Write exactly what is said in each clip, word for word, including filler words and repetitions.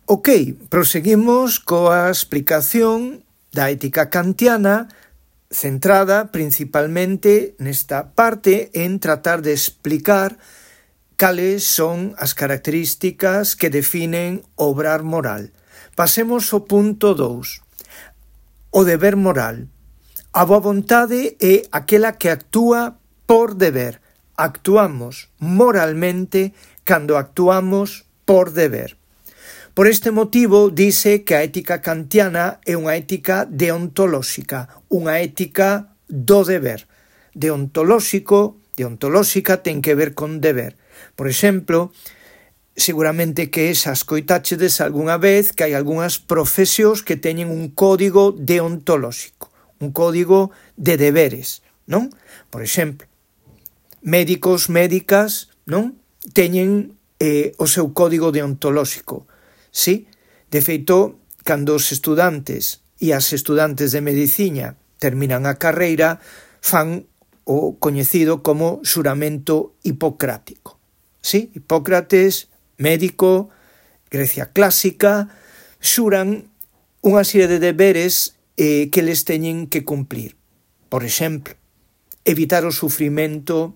Ok, proseguimos coa explicación da ética kantiana, centrada principalmente nesta parte en tratar de explicar cales son as características que definen o obrar moral. Pasemos ao punto dous. O deber moral. A boa vontade é aquela que actúa por deber. Actuamos moralmente cando actuamos por deber. Por este motivo, dice que a ética kantiana é unha ética deontolóxica, unha ética do deber. Deontolóxico, deontolóxica ten que ver con deber. Por exemplo, seguramente que esas coitáchedes algunha vez que hai algunhas profesións que teñen un código deontolóxico, un código de deberes, non? Por exemplo, médicos, médicas, non? Teñen eh, o seu código deontolóxico. Sí, de feito, cando os estudantes e as estudantes de medicina terminan a carreira, fan o coñecido como xuramento hipocrático. Sí, Hipócrates, médico, Grecia clásica, xuran unha serie de deberes eh, que les teñen que cumplir. Por exemplo, evitar o sufrimento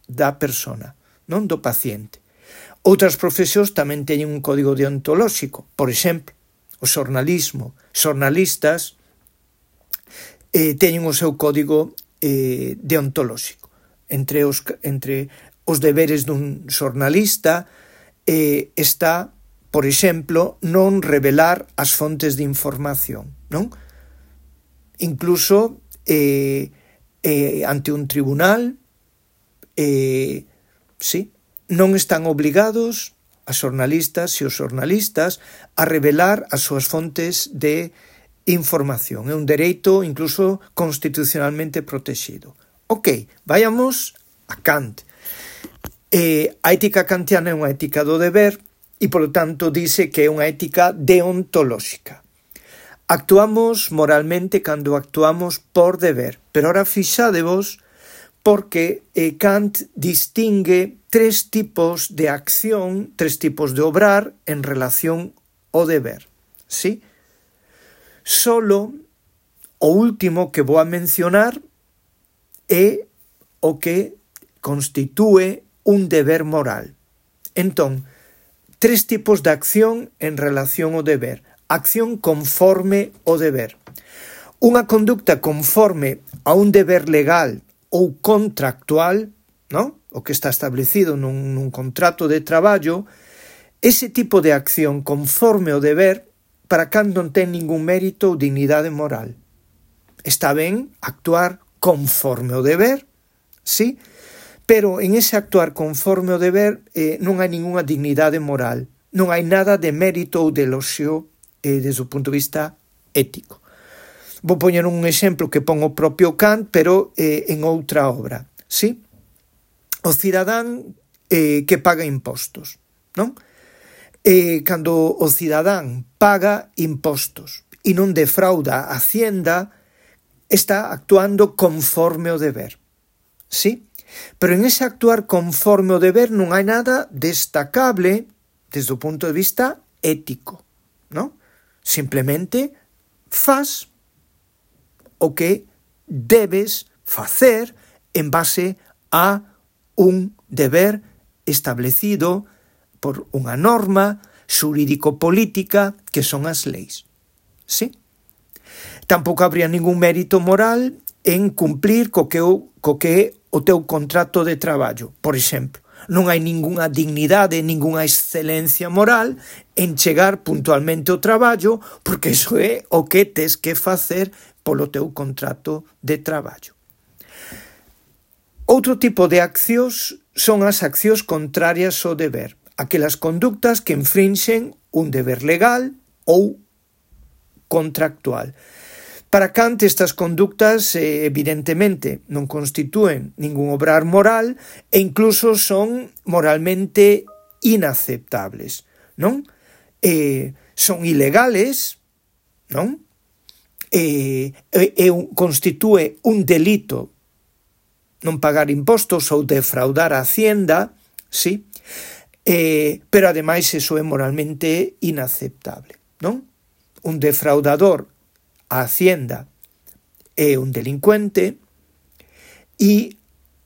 da persona, non do paciente. Outras profesións tamén teñen un código deontolóxico. Por exemplo, o xornalismo. Xornalistas eh, teñen o seu código eh, deontolóxico. Entre os, entre os deberes dun xornalista eh, está, por exemplo, non revelar as fontes de información, non? Incluso eh, eh, ante un tribunal, eh, sí, non están obligados as xornalistas e os xornalistas a revelar as súas fontes de información. É un dereito incluso constitucionalmente protegido. Ok, vayamos a Kant. Eh, a ética kantiana é unha ética do deber e, polo tanto, dice que é unha ética deontolóxica. Actuamos moralmente cando actuamos por deber, pero ahora fixádevos porque eh, Kant distingue tres tipos de acción, tres tipos de obrar en relación ao deber. ¿Sí? Solo o último que vou a mencionar é o que constitúe un deber moral. Entón, tres tipos de acción en relación ao deber. Acción conforme ao deber. Unha conducta conforme a un deber legal ou contractual, non? O que está establecido nun, nun contrato de traballo, ese tipo de acción conforme ao deber para cando non ten ningún mérito ou dignidade moral. Está ben actuar conforme ao deber, sí, pero en ese actuar conforme ao deber eh, non hai ninguna dignidade moral, non hai nada de mérito ou de eloxio eh, desde o punto de vista ético. Vou poñer un exemplo que pon o propio Kant, pero eh, en outra obra, sí? O cidadán eh, que paga impostos, non? Eh, cando o cidadán paga impostos e non defrauda a Hacienda, está actuando conforme ao deber, sí? Pero en ese actuar conforme ao deber non hai nada destacable desde o punto de vista ético, non? Simplemente faz o que debes facer en base a un deber establecido por unha norma xurídico-política que son as leis. Sí? Tampouco habría ningún mérito moral en cumplir co que, o, co que é o teu contrato de traballo. Por exemplo, non hai ningunha dignidade, ningunha excelencia moral en chegar puntualmente ao traballo, porque iso é o que tes que facer polo teu contrato de traballo. Outro tipo de accións son as accións contrarias ao deber, aquelas conductas que infrinxen un deber legal ou contractual. Para Kant, estas conductas eh, evidentemente non constitúen ningún obrar moral e incluso son moralmente inaceptables, non? Eh, son ilegales, non? Eh, eh, constitúe un delito non pagar impostos ou defraudar a Hacienda, sí? eh, pero ademais iso é moralmente inaceptable, non? Un defraudador a Hacienda é un delincuente e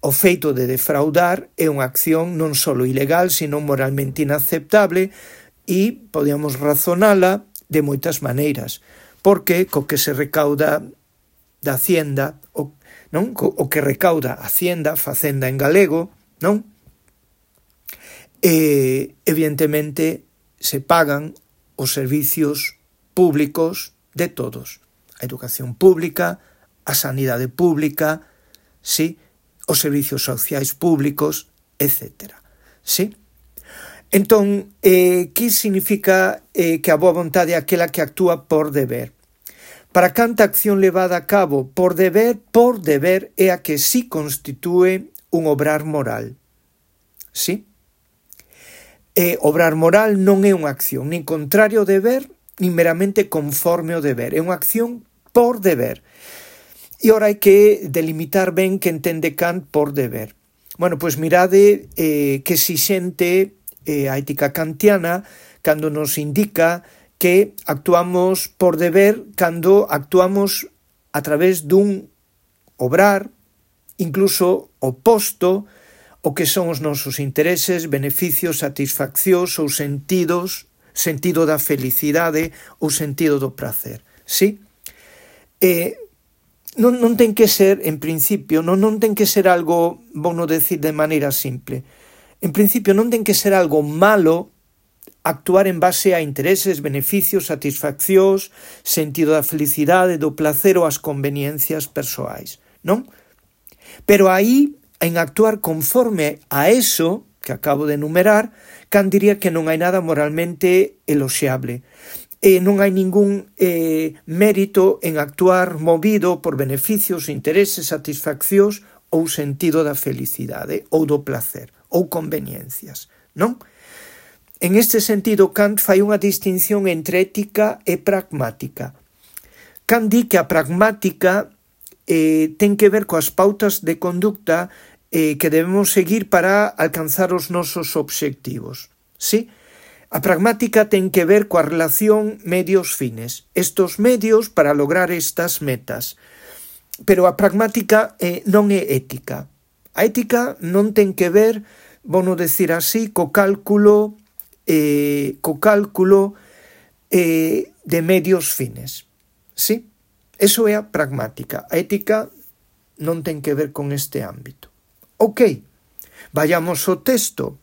o feito de defraudar é unha acción non só ilegal, sino moralmente inaceptable e podíamos razonala de moitas maneiras, porque co que se recauda da Hacienda, o, non? O que recauda a Hacienda, Facenda en galego, non? E, evidentemente, se pagan os servicios públicos de todos. A educación pública, a sanidade pública, sí, os servicios sociais públicos, etcétera. Sí? Entón, eh, que significa eh, que a boa vontade é aquela que actúa por deber? Para canta acción levada a cabo por deber, por deber é a que sí constitúe un obrar moral. Sí? E obrar moral non é unha acción nin contrario ao deber, nin meramente conforme ao deber. É unha acción por deber. E ora hai que delimitar ben que entende Kant por deber. Bueno, pois mirade eh, que exixente eh, a ética kantiana cando nos indica que actuamos por deber cando actuamos a través dun obrar, incluso oposto o que son os nosos intereses, beneficios, satisfaccións ou sentidos, sentido da felicidade ou sentido do prazer. Sí? Eh, non, non ten que ser, en principio, non, non ten que ser algo, vou non decir de maneira simple, en principio non ten que ser algo malo actuar en base a intereses, beneficios, satisfaccións, sentido da felicidade, do placer ou as conveniencias persoais, non? Pero aí, en actuar conforme a eso que acabo de enumerar, Kant diría que non hai nada moralmente eloxiable. E non hai ningún eh, mérito en actuar movido por beneficios, intereses, satisfaccións ou sentido da felicidade ou do placer ou conveniencias, non? En este sentido, Kant fai unha distinción entre ética e pragmática. Kant di que a pragmática eh, ten que ver coas pautas de conducta eh, que debemos seguir para alcanzar os nosos obxectivos. Sí? A pragmática ten que ver coa relación medios-fines. Estos medios para lograr estas metas. Pero a pragmática eh, non é ética. A ética non ten que ver, vou non decir así, co cálculo, eh, co cálculo eh, de medios fines. Sí? Eso é a pragmática. A ética non ten que ver con este ámbito. Ok, vayamos ao texto.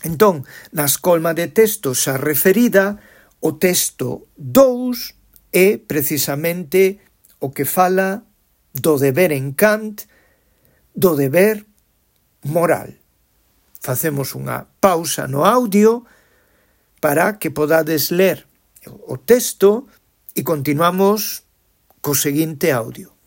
Entón, na escolma de texto xa referida, o texto dous é precisamente o que fala do deber en Kant, do deber moral. Facemos unha pausa no audio para que podades ler o texto e continuamos co seguinte audio.